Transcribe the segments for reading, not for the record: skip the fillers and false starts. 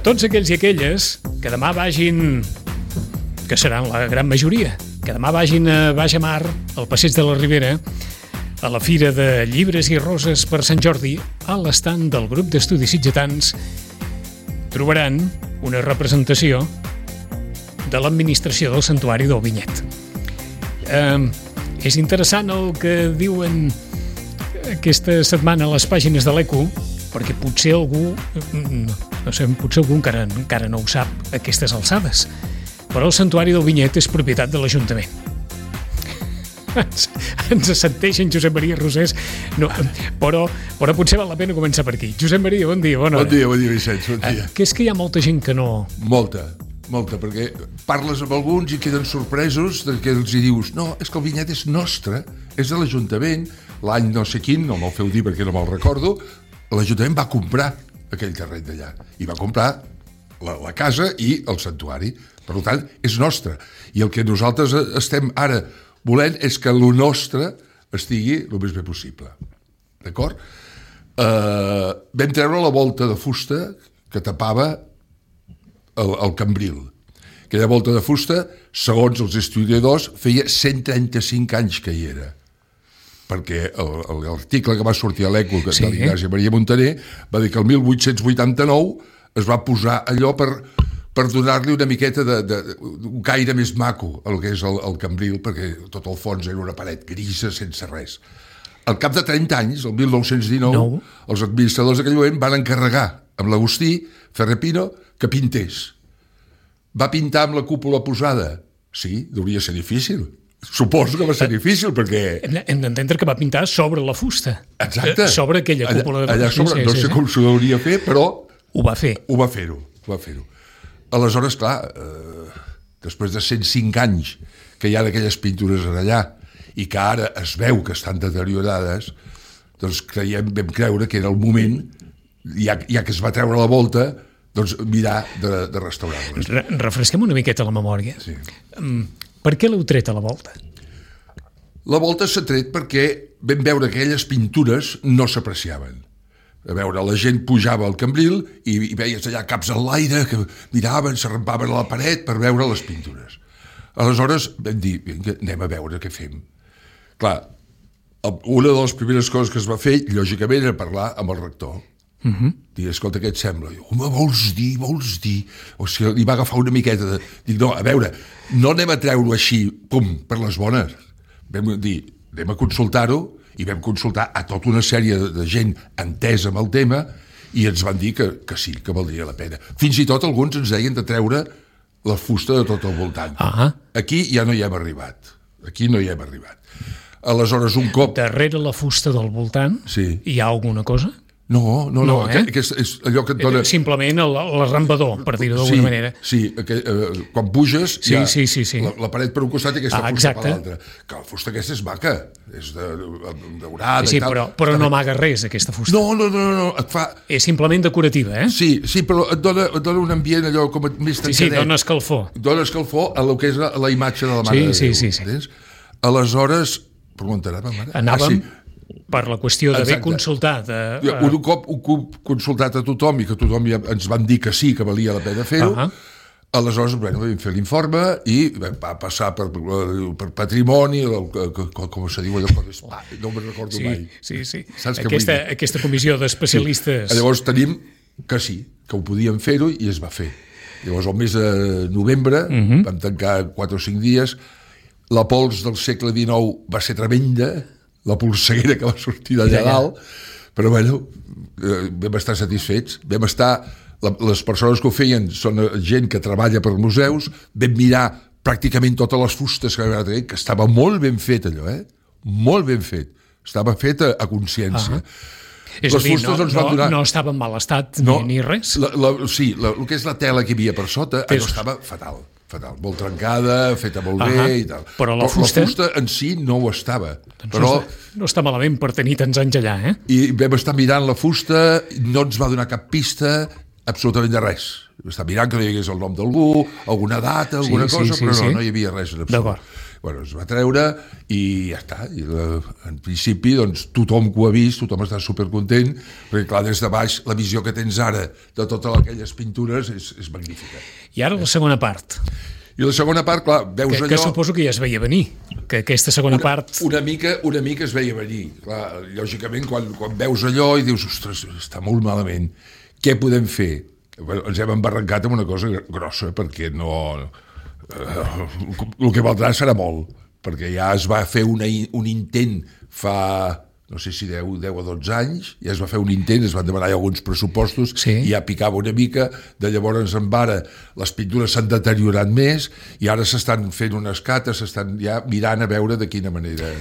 tots aquells i aquelles que demà vagin, que seran la gran majoria, que demà vagin a Baix a Mar, al Passeig de la Ribera, a la Fira de Llibres i Roses per Sant Jordi, a l'estand del grup d'estudis sitgetans, trobaran una representació de l'administració del Santuari del Vinyet. És interessant el que diuen aquesta setmana a les pàgines de l'Eco, perquè potser algú, no sé, potser algú encara no ho sap a aquestes alçades, però el Santuari del Vinyet és propietat de l'Ajuntament. Ens assenteixen Josep Maria Rosés, no, però potser val la pena començar per aquí. Josep Maria, bon dia, bona hora. Bon dia, Vicenç, bon dia. Que és que hi ha molta gent que no... Molta, perquè parles amb alguns i queden sorpresos de que els hi dius no, és que el vinyet és nostre, és de l'Ajuntament, l'any no sé quin, no me'l feu dir perquè no me'l recordo, l'Ajuntament va comprar aquell terreny d'allà i va comprar la casa i el santuari. Per tant, és nostre. I el que nosaltres estem ara volent és que lo nostre estigui el més bé possible. D'acord? Vam treure la volta de fusta que tapava el cambril. Aquella volta de fusta, segons els historiadors, feia 135 anys que hi era. Perquè l'article que va sortir a l'Eco de l'Ignasi Maria Montaner va dir que el 1889 es va posar allò per donar-li una miqueta un caire més maco al que és el cambril, perquè tot el fons era una paret grisa sense res. Al cap de 30 anys, el 1919, els administradors d'aquell moment van encarregar amb l'Agustí Ferrepino que pintés. Va pintar amb la cúpula posada? Sí, deuria ser difícil. Suposo que va ser difícil, perquè... Hem d'entendre que va pintar sobre la fusta. Exacte. Sobre aquella cúpula de... Allà sobre, no sé com s'ho hauria fer, però... Ho va fer. Ho va fer-ho. Aleshores, clar, després de 105 anys que hi ha d'aquelles pintures allà i que ara es veu que estan deteriorades, doncs vam creure que era el moment, ja que es va treure la volta, doncs mirar de restaurar-les. Refresquem una miqueta la memòria. Sí. Per què l'heu tret a la volta? La volta s'ha tret perquè vam veure que aquelles pintures no s'apreciaven. A veure, la gent pujava al cambril i veies allà caps en l'aire que miraven, s'arrampaven a la paret per veure les pintures. Aleshores vam dir, vinga, anem a veure què fem. Clar, una de les primeres coses que es va fer, lògicament, era parlar amb el rector. Dir, escolta, què et sembla? I, home, vols dir? O sigui, li va agafar una miqueta de... Dic, no, a veure, no anem a treure-ho així, pum, per les bones. Vam dir, anem a consultar-ho, i vam consultar a tota una sèrie de gent entesa amb el tema i ens van dir que sí, que valdria la pena. Fins i tot alguns ens deien de treure la fusta de tot el voltant. Aquí ja no hi hem arribat. Aleshores, un cop... Darrere la fusta del voltant hi ha alguna cosa? No, que és allò que et dona... Simplement l'arrambador, per dir-ho d'alguna manera. Sí, quan puges hi ha la paret per un costat i aquesta fusta per l'altre. Que la fusta aquesta és maca, és daurada i tal. Però no amaga res, aquesta fusta. No, et fa... És simplement decorativa, eh? Sí, però et dona un ambient allò com més tancadet. Sí, dona escalfor. Dona escalfor a lo que és la imatge de la Mare de Déu. Sí. Aleshores, per on anàvem ara? Anàvem... Per la qüestió d'haver consultat... Un cop consultat a tothom i que tothom ens van dir que sí, que valia la pena fer-ho, aleshores vam fer l'informe i va passar per patrimoni, com se diu allò, no me'n recordo mai. Sí. Aquesta comissió d'especialistes... Llavors tenim que sí, que ho podíem fer-ho i es va fer. Llavors el mes de novembre vam tancar 4 o 5 dies, la pols del segle XIX va ser tremenda, la polseguera que va sortir d'allà dalt, però bueno, vam estar satisfets, les persones que ho feien són gent que treballa per museus, vam mirar pràcticament totes les fustes que vam tenir, que estava molt ben fet allò, molt ben fet, estava fet a consciència. És a dir, no estava en mal estat ni res? Sí, el que és la tela que hi havia per sota, allò estava fatal, molt trencada, feta molt bé i tal. Però la fusta en si no ho estava. No està malament per tenir tants anys allà, eh? I vam estar mirant la fusta, no ens va donar cap pista, absolutament de res. Vam estar mirant que no hi hagués el nom d'algú, alguna data, alguna cosa, però no hi havia res en absolut. Bueno, es va treure i ja està. I en principi, doncs, tothom que ho ha vist, tothom està supercontent, perquè, clar, des de baix, la visió que tens ara de totes aquelles pintures és magnífica. I ara la segona part. I la segona part, clar, veus allò... Que suposo que ja es veia venir, que aquesta segona part... Una mica es veia venir. Clar, lògicament, quan veus allò i dius, ostres, està molt malament, què podem fer? Bueno, ens hem embarrancat amb una cosa grossa, perquè no... el que valdrà serà molt, perquè ja es va fer un intent fa... no sé si 10 o 12 anys, ja es va fer un intent, es van demanar alguns pressupostos, sí. I ja picava una mica, de llavors en ara les pintures s'han deteriorat més i ara s'estan fent unes cates, s'estan ja mirant a veure de quina manera...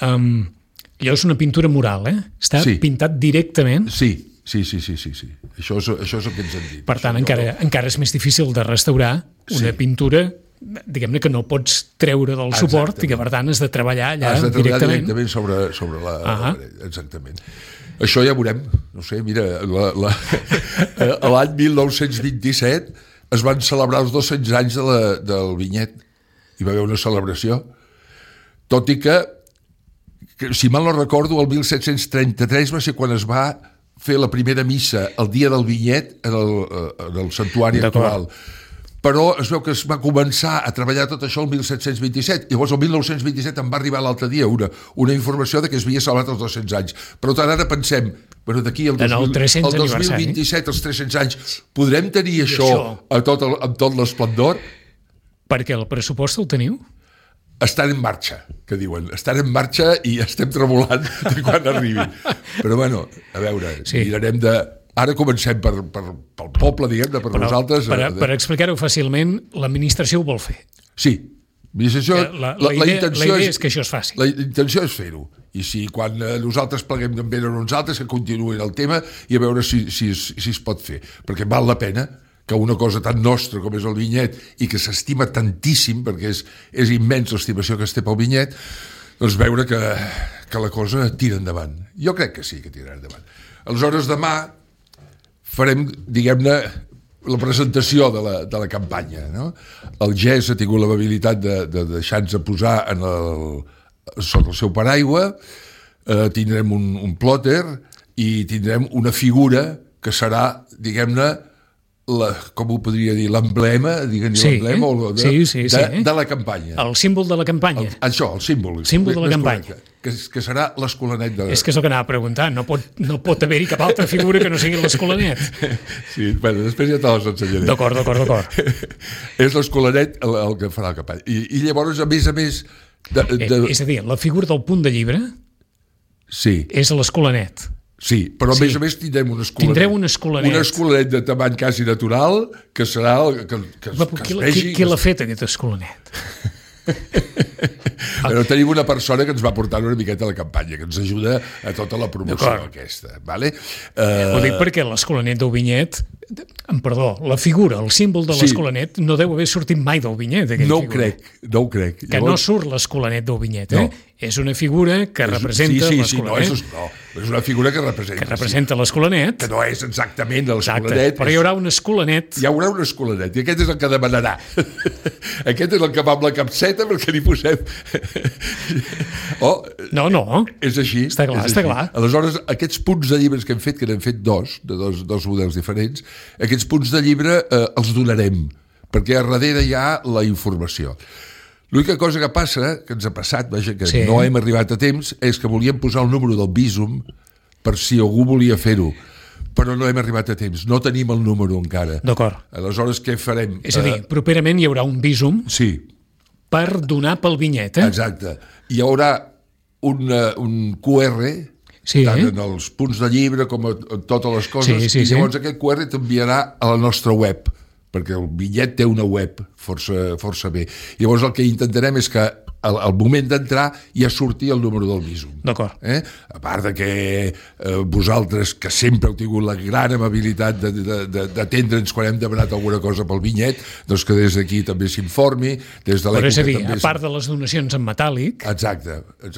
Allò és una pintura mural, Està pintat directament? Sí. Això és el que ens han dit. Per tant, encara és més difícil de restaurar una pintura, diguem-ne, que no pots treure del suport i que, per tant, has de treballar allà directament. Has de treballar directament sobre la paret. Exactament. Això ja veurem. No sé, mira, l'any 1927 es van celebrar els 200 anys del Vinyet. Hi va haver una celebració. Tot i que, si mal no recordo, el 1733 va ser quan es va fer la primera missa el dia del Vinyet en el santuari actual. Però es veu que es va començar a treballar tot això el 1727. Llavors, el 1927 em va arribar l'altre dia una informació de que es havia celebrat els 200 anys. Per tant, ara pensem, bueno, d'aquí el 2027, els 300 anys, podrem tenir això amb tot l'esplendor? Perquè el pressupost el teniu? Estan en marxa, que diuen. Estan en marxa i estem tremolant de quan arribi. Però, bueno, a veure, mirarem de... Ara comencem pel poble, diguem-ne, per nosaltres. Per explicar-ho fàcilment, l'administració ho vol fer. Sí. La idea és que això es faci. La intenció és fer-ho. I si quan nosaltres pleguem també a nosaltres, que continuïn el tema i a veure si es pot fer. Perquè val la pena que una cosa tan nostra com és el Vinyet i que s'estima tantíssim, perquè és immens l'estimació que es té pel Vinyet, doncs veure que la cosa tira endavant. Jo crec que sí que tirarà endavant. Aleshores, demà farem, diguem-ne, la presentació de la campanya. No? El GES ha tingut l'amabilitat de deixar-nos posar sota el seu paraigua, tindrem un plòter i tindrem una figura que serà, diguem-ne, com ho podria dir, l'emblema, l'emblema de la campanya. El símbol de la campanya. Això, el símbol. Símbol de la campanya. Que serà l'Escolanet de... És que és el que anava a preguntar. No pot haver-hi cap altra figura que no sigui l'Escolanet. Sí, bueno, després ja te les ensenyaré. D'acord. És l'Escolanet el que farà la campanya. I llavors, a més... És a dir, la figura del punt de llibre és l'Escolanet. Sí, però a més tindrem un escolanet. Tindreu un escolanet. Un escolanet de tamany quasi natural, que serà que es vegi... Qui l'ha fet, aquest escolanet? Però tenim una persona que ens va portar una miqueta a la campanya, que ens ajuda a tota la promoció aquesta. Vale? Ho dic perquè l'Escolanet del Vinyet, la figura, el símbol de l'Escolanet no deu haver sortit mai del Vinyet. No ho crec. Que no surt l'Escolanet del Vinyet, És una figura que representa l'Escolanet. És una figura que representa. Que representa l'Escolanet. Que no és exactament l'Escolanet. Però hi haurà un Escolanet. Hi haurà un Escolanet, i aquest és el que demanarà. Aquest és el que va amb la capseta perquè li posem... No. És així. Està clar. Aleshores, aquests punts de llibres que hem fet, que n'hem fet dos models diferents, aquests punts de llibre els donarem, perquè a darrere hi ha la informació. L'única cosa que passa, que ens ha passat, que no hem arribat a temps, és que volíem posar el número del Bizum per si algú volia fer-ho, però no hem arribat a temps, no tenim el número encara. D'acord. Aleshores, què farem? És a dir, properament hi haurà un Bizum per donar pel Vinyet, Exacte. Hi haurà un QR, tant en els punts de llibre com en totes les coses, i llavors aquest QR t'enviarà a la nostra web, perquè el Vinyet té una web força bé. Llavors el que intentarem és que al moment d'entrar ja surti el número del Bizum. D'acord. A part de que vosaltres, que sempre heu tingut la gran amabilitat d'atendre'ns quan hem demanat alguna cosa pel Vinyet, doncs que des d'aquí també s'informi. Però és a dir, a part de les donacions en metàl·lic,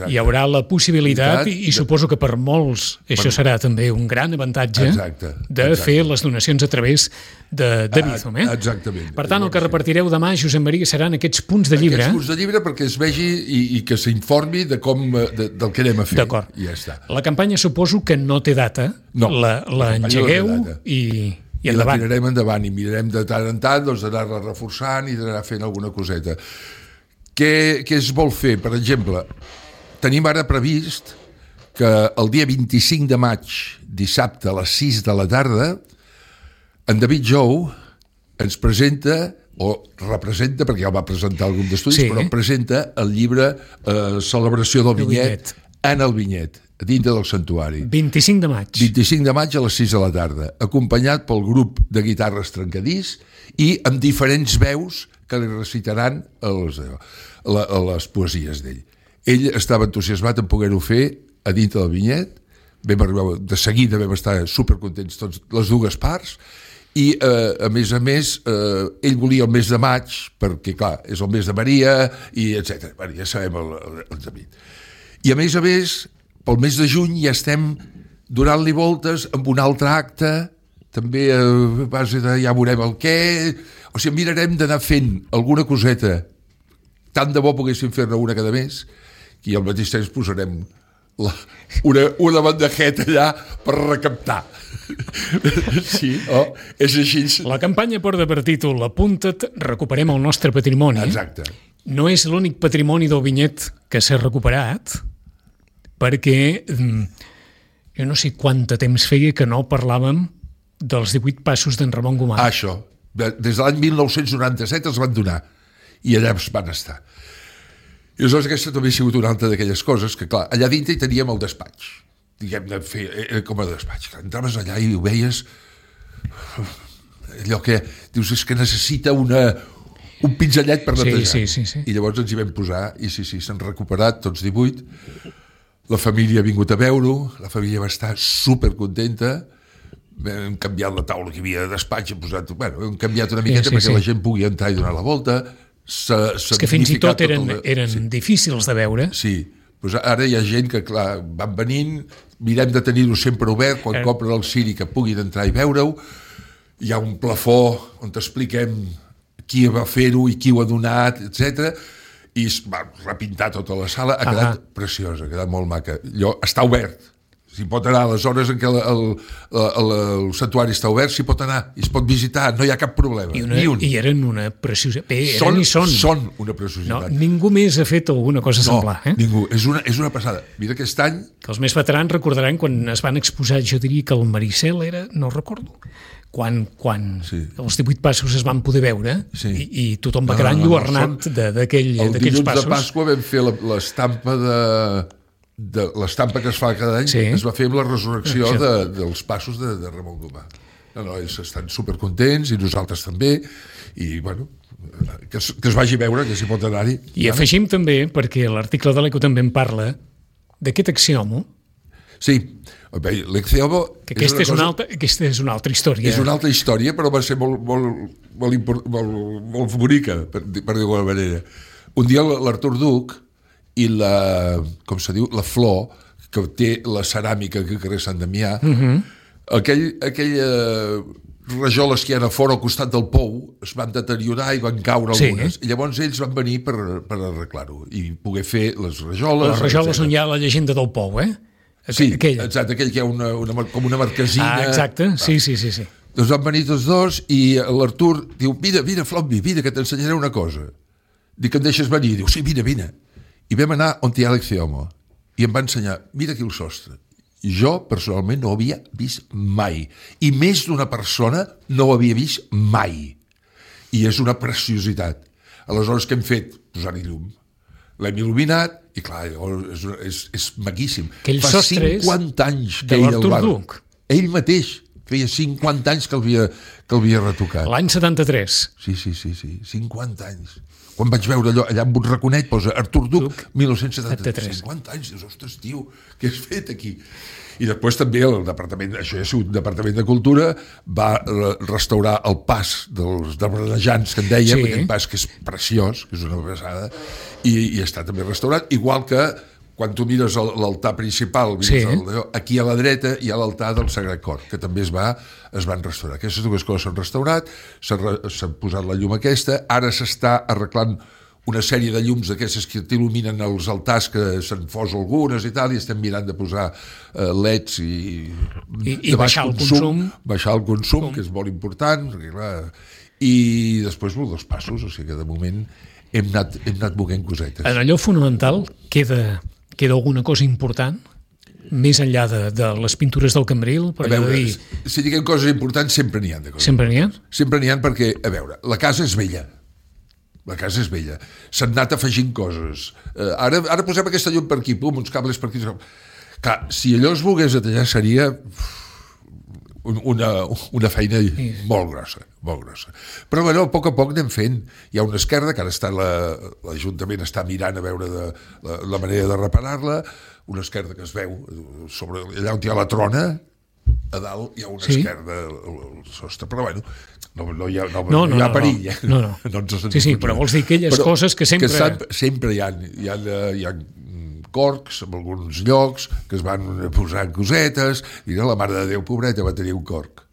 hi haurà la possibilitat, i suposo que per molts això serà també un gran avantatge, de fer les donacions a través de Bizum. Exactament. Per tant, el que repartireu demà, Josep Maria, seran aquests punts de llibre. Aquests punts de llibre perquè es vegi vegi i que s'informi del que anem a fer. D'acord. I ja està. La campanya suposo que no té data. No, l'engegueu no té data. i la endavant. tirarem endavant i mirarem de tant en tant d'anar-la reforçant i d'anar fent alguna coseta. Què es vol fer? Per exemple, tenim ara previst que el dia 25 de maig, dissabte a les 6 de la tarda, en David Jou ens presenta, o representa, perquè ja el va presentar al grup d'estudis, però presenta el llibre Celebració del Vinyet en el Vinyet, dintre del santuari. 25 de maig. 25 de maig a les 6 de la tarda, acompanyat pel grup de guitarres Trencadís i amb diferents veus que li recitaran les poesies d'ell. Ell estava entusiasmat en poder-ho fer a dintre del Vinyet, de seguida vam estar supercontents tots, les dues parts, i a més, ell volia el mes de maig, perquè clar, és el mes de Maria, i etc. Bueno, ja sabem el David. I a més, pel mes de juny ja estem donant-li voltes amb un altre acte, també a base de ja veurem el què, o sigui, mirarem d'anar fent alguna coseta, tant de bo poguéssim fer-ne una cada mes, i al mateix temps posarem una bandejeta allà per recaptar. Sí, és així. La campanya porta per títol Apunta't, recuperem el nostre patrimoni. Exacte. No és l'únic patrimoni del Vinyet que s'ha recuperat, perquè jo no sé quant de temps feia que no parlàvem dels 18 passos d'en Ramon Gomà. Això. Des de l'any 1997 els van donar i allà van estar. I aleshores aquesta també ha sigut una altra d'aquelles coses que, clar, allà dintre hi teníem el despatx. Diguem-ne, com a despatx. Entraves allà i ho veies allò que dius és que necessita un pinzellet per netejar. Sí. I llavors ens hi vam posar i s'han recuperat tots 18. La família ha vingut a veure-ho, la família va estar supercontenta, hem canviat la taula que hi havia de despatx, hem canviat una miqueta perquè la gent pugui entrar i donar la volta. És que fins i tot eren difícils de veure. Sí, doncs ara hi ha gent que, clar, van venint, mirem de tenir-ho sempre obert, quan compren el ciri que puguin entrar i veure-ho. Hi ha un plafó on t'expliquem qui va fer-ho i qui ho ha donat, etc. I es va repintar tota la sala, ha quedat preciosa, ha quedat molt maca. Allò està obert, s'hi pot anar a les hores en què el santuari està obert, s'hi pot anar, i es pot visitar, no hi ha cap problema. I eren una preciositat. Són una preciositat. No, ningú més ha fet alguna cosa semblant. Ningú. És una passada. Mira aquest any... Que els més veterans recordaran quan es van exposar, jo diria que el Maricel era, no recordo, quan els 18 passos es van poder veure i tothom va quedar enlluernat d'aquells passos. El dilluns de Pasqua vam fer l'estampa l'estampa que es fa cada any, es va fer amb la resurrecció dels passos de Ramon Gomà. Ells estan supercontents i nosaltres també, i bueno, que es vagi a veure, que s'hi pot anar-hi. I afegim també, perquè l'article de l'Eco també en parla, d'aquest axiomo. Sí, l'exiomo... Aquesta és una altra història. És una altra història, però va ser molt bonica, per dir-ho d'alguna manera. Un dia l'Artur Duc i la Flor, que té la ceràmica que al carrer Sant Damià, aquella rajoles que hi ha a fora al costat del pou es van deteriorar i van caure algunes. I llavors ells van venir per arreglar-ho i poder fer les rajoles. Les rajoles on hi ha la llegenda del pou, Sí, exacte, aquell que hi ha com una marquesina. Exacte, sí. Doncs van venir tots dos i l'Artur diu, vine, Flombi, vine, que t'ensenyaré una cosa. Dic, em deixes venir? Diu, sí, vine. I vam anar on hi ha l'exiomo i em va ensenyar, mira aquí el sostre. Jo, personalment, no ho havia vist mai. I més d'una persona no ho havia vist mai. I és una preciositat. Aleshores, què hem fet? Posar-hi llum. L'hem il·luminat i, clar, és maquíssim. Fa 50 anys que ell el va... Ell mateix feia 50 anys que l'havia retocat. L'any 73. Sí, 50 anys. Quan vaig veure allà amb un raconet posa Artur Duc, 1973. 50 anys, dius, ostres, tio, què has fet aquí? I després també el departament, això ja ha sigut el Departament de Cultura, va restaurar el pas dels debranejants, que en dèiem, aquell pas que és preciós, que és una passada, i està també restaurat, igual que quan tu mires l'altar principal, aquí a la dreta hi ha l'altar del Sagrat Cor, que també es van restaurar. Aquestes dues coses s'han restaurat, s'ha posat la llum aquesta, ara s'està arreglant una sèrie de llums d'aquestes que t'il·luminen els altars, que se'n fos algunes i tal, i estem mirant de posar leds I baixar el consum. Baixar el consum, que és molt important, perquè, clar, i després els passos, o sigui que de moment hem anat moguent cosetes. En allò fonamental queda alguna cosa important? Més enllà de les pintures del Cambril? A veure, si diguem coses importants, sempre n'hi ha de coses. Sempre n'hi ha? Sempre n'hi ha perquè, a veure, la casa és vella. La casa és vella. S'han anat afegint coses. Ara posem aquesta llum per aquí, pum, uns cables per aquí. Clar, si allò es volgués detallar seria una feina molt grossa, molt grossa. Però bueno, a poc anem fent. Hi ha una esquerda que ara l'Ajuntament està mirant a veure la manera de reparar-la, una esquerda que es veu sobre allà on hi ha la trona, a dalt hi ha una esquerda al sostre, però bueno, no hi ha perill. No. Sí, però vols dir aquelles coses que sempre... Sempre hi ha corcs en alguns llocs que es van posant cosetes. Mira, la Mare de Déu, pobreta, va tenir un corc.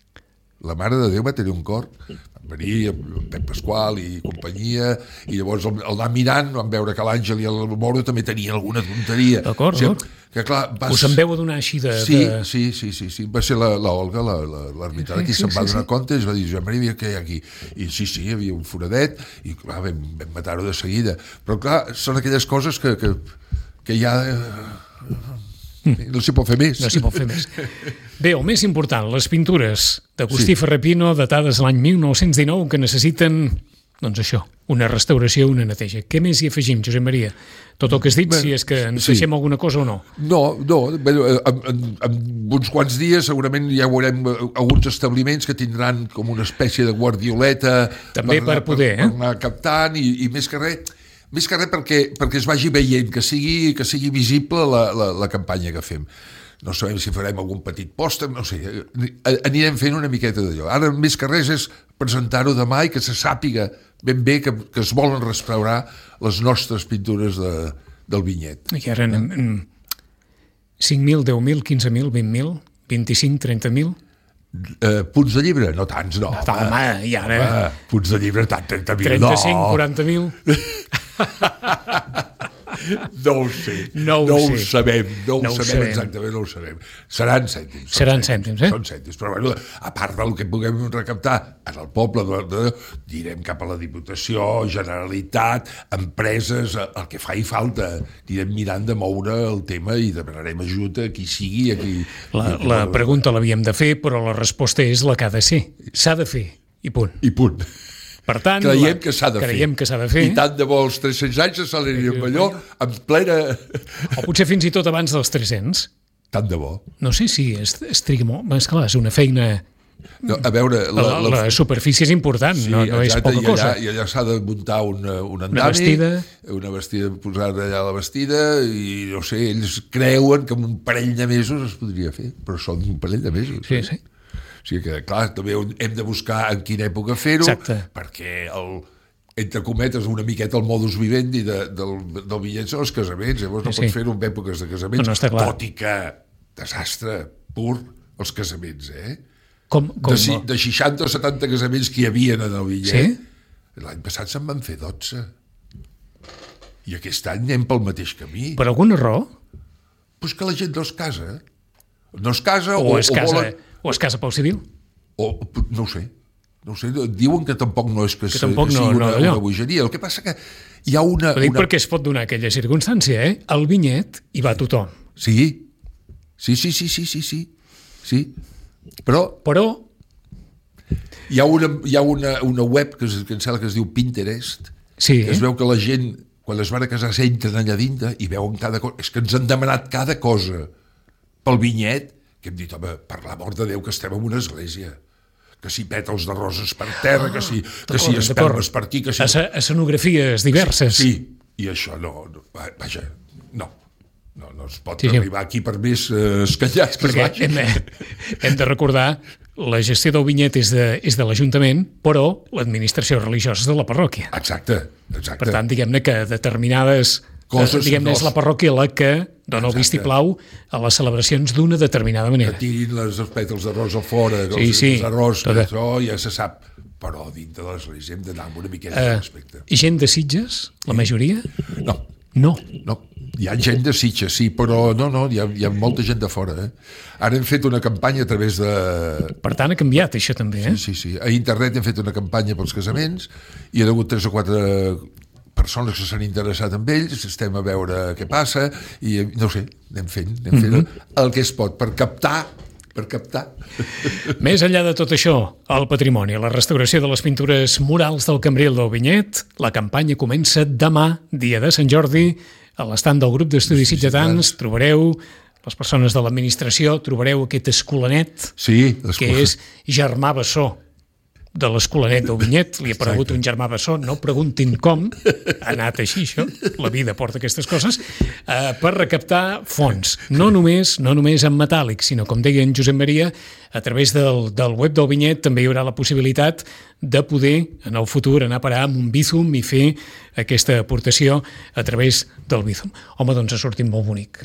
La Mare de Déu va tenir un corc. Van venir el Pep Pasqual i companyia, i llavors el anar mirant van veure que l'Àngel i el Moro també tenien alguna tonteria. D'acord, que clar, us en veu a donar així de... Sí. Va ser l'Olga, l'ermitana, qui se'n va donar compte i es va dir, Joan Maria, què hi ha aquí? I sí, hi havia un foradet i clar, vam matar-ho de seguida. Però clar, són aquelles coses que ja... No s'hi pot fer més. No s'hi pot fer més. Bé, el més important, les pintures d'Agustí Ferrer-Pino, datades l'any 1919, que necessiten, doncs això, una restauració, una neteja. Què més hi afegim, Josep Maria? Tot el que has dit, si és que ens deixem alguna cosa o no? No. En uns quants dies segurament ja veurem alguns establiments que tindran com una espècie de guardioleta també per poder, per anar captant, i més que res perquè es vagi veient, que sigui visible la campanya que fem. No sabem si farem algun petit pòster, no sé, anirem fent una miqueta d'allò. Ara més que res és presentar-ho demà i que se sàpiga ben bé que es volen restaurar les nostres pintures del vinyet. I ara 5.000, 10.000, 15.000, 20.000, 25, 30.000... punts de llibre? No tants, no. Home, i ara... Punts de llibre, tant, 30.000, no. 35, 40.000... No ho sé, no ho sabem exactament, no ho sabem. Seran cèntims. Seran cèntims, Són cèntims, però bueno, a part del que puguem recaptar en el poble, direm cap a la Diputació, Generalitat, empreses, el que faci falta. Anirem mirant de moure el tema i demanarem ajut a qui sigui. La pregunta l'havíem de fer, però la resposta és la que ha de ser. S'ha de fer, i punt. I punt. Per tant, creiem que s'ha de fer. I tant de bo els 300 anys s'acelerin amb allò en plena... O potser fins i tot abans dels 300. Tant de bo. No sé si es triga molt. És clar, és una feina... No, a veure... La superfície és important, sí, no és poca cosa. I allà s'ha de muntar un andami, una vestida, posar allà la vestida, i no sé, ells creuen que en un parell de mesos es podria fer, però són un parell de mesos. Sí. O sigui que, clar, també hem de buscar en quina època fer-ho, perquè entre cometes, una miqueta el modus vivendi del bitllet són els casaments, llavors no pots fer-ho en èpoques de casaments, tot i que desastre pur els casaments, Com? De 60 o 70 casaments que hi havia en el bitllet, l'any passat se'n van fer 12. I aquest any anem pel mateix camí. Per alguna raó? Pues que la gent no es casa. No es casa o es casa pel civil? No ho sé. Diuen que tampoc no és que sigui una bogeria. El que passa que hi ha una... Ho dic perquè es pot donar aquella circumstància, Al vinyet hi va tothom. Sí. Però hi ha una web que em sembla que es diu Pinterest, que es veu que la gent, quan es van a casar, s'entren allà dintre i veuen cada cosa. És que ens han demanat cada cosa pel vinyet, que hem dit, home, per l'amor de Déu, que estem en una església, que si pètals de roses per terra, que si espelmes per aquí, que si... Escenografies diverses. Sí, i això no es pot arribar aquí per més escanyats. Perquè hem de recordar, la gestió del vinyet és de l'Ajuntament, però l'administració religiosa és de la parròquia. Exacte. Per tant, diguem-ne que determinades coses... Diguem-ne, és la parròquia la que dona el vistiplau a les celebracions d'una determinada manera. Que tirin els pètals de rosa fora, d'arròs, això ja se sap. però dintre de les lleis hem d'anar amb una miqueta de respecte. Gent de Sitges, la majoria? No. No. Hi ha gent de Sitges, sí, però no, hi ha molta gent de fora. Ara hem fet una campanya a través de... Per tant, ha canviat això també, Sí. A internet hem fet una campanya pels casaments i hi ha hagut 3 o 4 persones que s'han interessat en ells, estem a veure què passa i no ho sé, anem fent el que es pot per captar. Més enllà de tot això, el patrimoni, la restauració de les pintures murals del Cambril del Vinyet, la campanya comença demà, dia de Sant Jordi. A l'estand del grup d'estudis sitgetans trobareu les persones de l'administració, trobareu aquest escolanet, que és Germà Bessó, de l'Escolanet del Vinyet. Li ha aparegut un Germà Bessó, no preguntin com, ha anat així això, la vida porta aquestes coses, per recaptar fons, no només en metàl·lic, sinó, com deia en Josep Maria, a través del web del Vinyet també hi haurà la possibilitat de poder, en el futur, anar a parar amb un Bizum i fer aquesta aportació a través del Bizum. Home, doncs ha sortit molt bonic.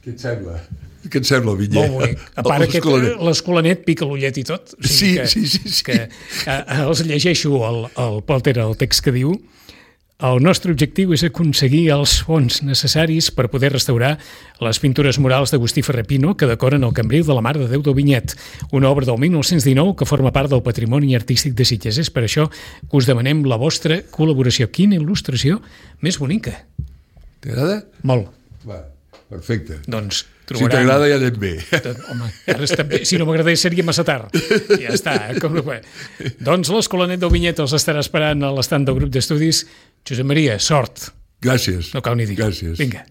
Què et sembla? Què et sembla, el Vinyet? Molt bonic. A part l'Escolanet pica l'ullet i tot. O sigui sí. Que els llegeixo el Polter, el text que diu: el nostre objectiu és aconseguir els fons necessaris per poder restaurar les pintures murals d'Agustí Ferrer Pino que decoren el Cambril de la Mare de Déu del Vinyet, una obra del 1919 que forma part del patrimoni artístic de Sitges. És per això que us demanem la vostra col·laboració. Quina il·lustració més bonica. T'agrada? Molt. Va, perfecte. Doncs trobaran... Si t'agrada ja anem bé. Home, ara està bé. Si no m'agradés seria massa tard. Ja està. Doncs l'Escolanet del Vinyet els estarà esperant a l'estand del grup d'estudis. Josep Maria, sort. Gràcies. No cal ni dir. Gràcies. Vinga.